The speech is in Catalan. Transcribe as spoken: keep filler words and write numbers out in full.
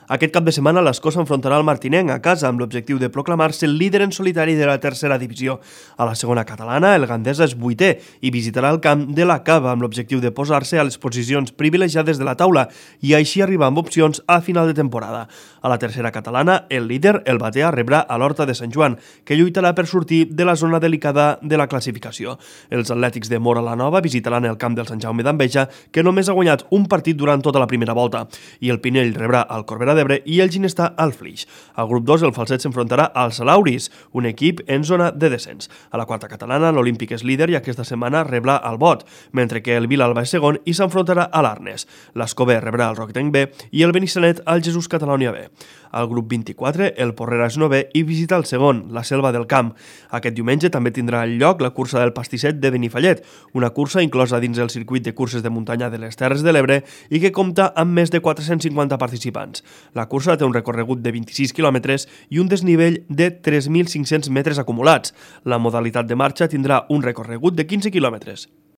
Aquest cap de setmana l'Escó s'enfrontarà al Martinenc a casa amb l'objectiu de proclamar-se el líder en solitari de la tercera divisió. A la segona catalana, el Gandesa és vuitè i visitarà el camp de la Cava amb l'objectiu de posar-se a les posicions privilegiades de la taula i així arribar amb opcions a final de temporada. A la tercera catalana, el líder, el Batea, rebrà a l'Horta de Sant Joan, que lluitarà per sortir de la zona delicada de la classificació. Els atlètics de Móra la Nova visitaran el camp del Sant Jaume d'Enveja, que només ha guanyat un partit durant tota la primera volta, i el Pinell rebrà al Corbera d'Ebre i el Ginestar al Flix. Al grup dos, el Falset s'enfrontarà als Salauris, un equip en zona de descens. A la quarta catalana, l'Olímpic és líder i aquesta setmana rebrà al Bot, mentre que el Vilalba és segon i s'enfrontarà a l'Arnes. L'Escobé rebrà al Roquetenc B i el Benissanet al Jesús Catalònia B. Al grup vint-i-quatre, el Porrera és novè i visita el segon, la Selva del Camp. Aquest diumenge també tindrà lloc la cursa del Pastisset de Benifallet, una cursa inclosa dins el circuit de curses de muntanya de les Terres de l'Ebre i que compta amb més de quatre-cents cinquanta participants. La cursa té un recorregut de vint-i-sis quilòmetres i un desnivell de tres mil cinc-cents metres acumulats. La modalitat de marxa tindrà un recorregut de quinze quilòmetres.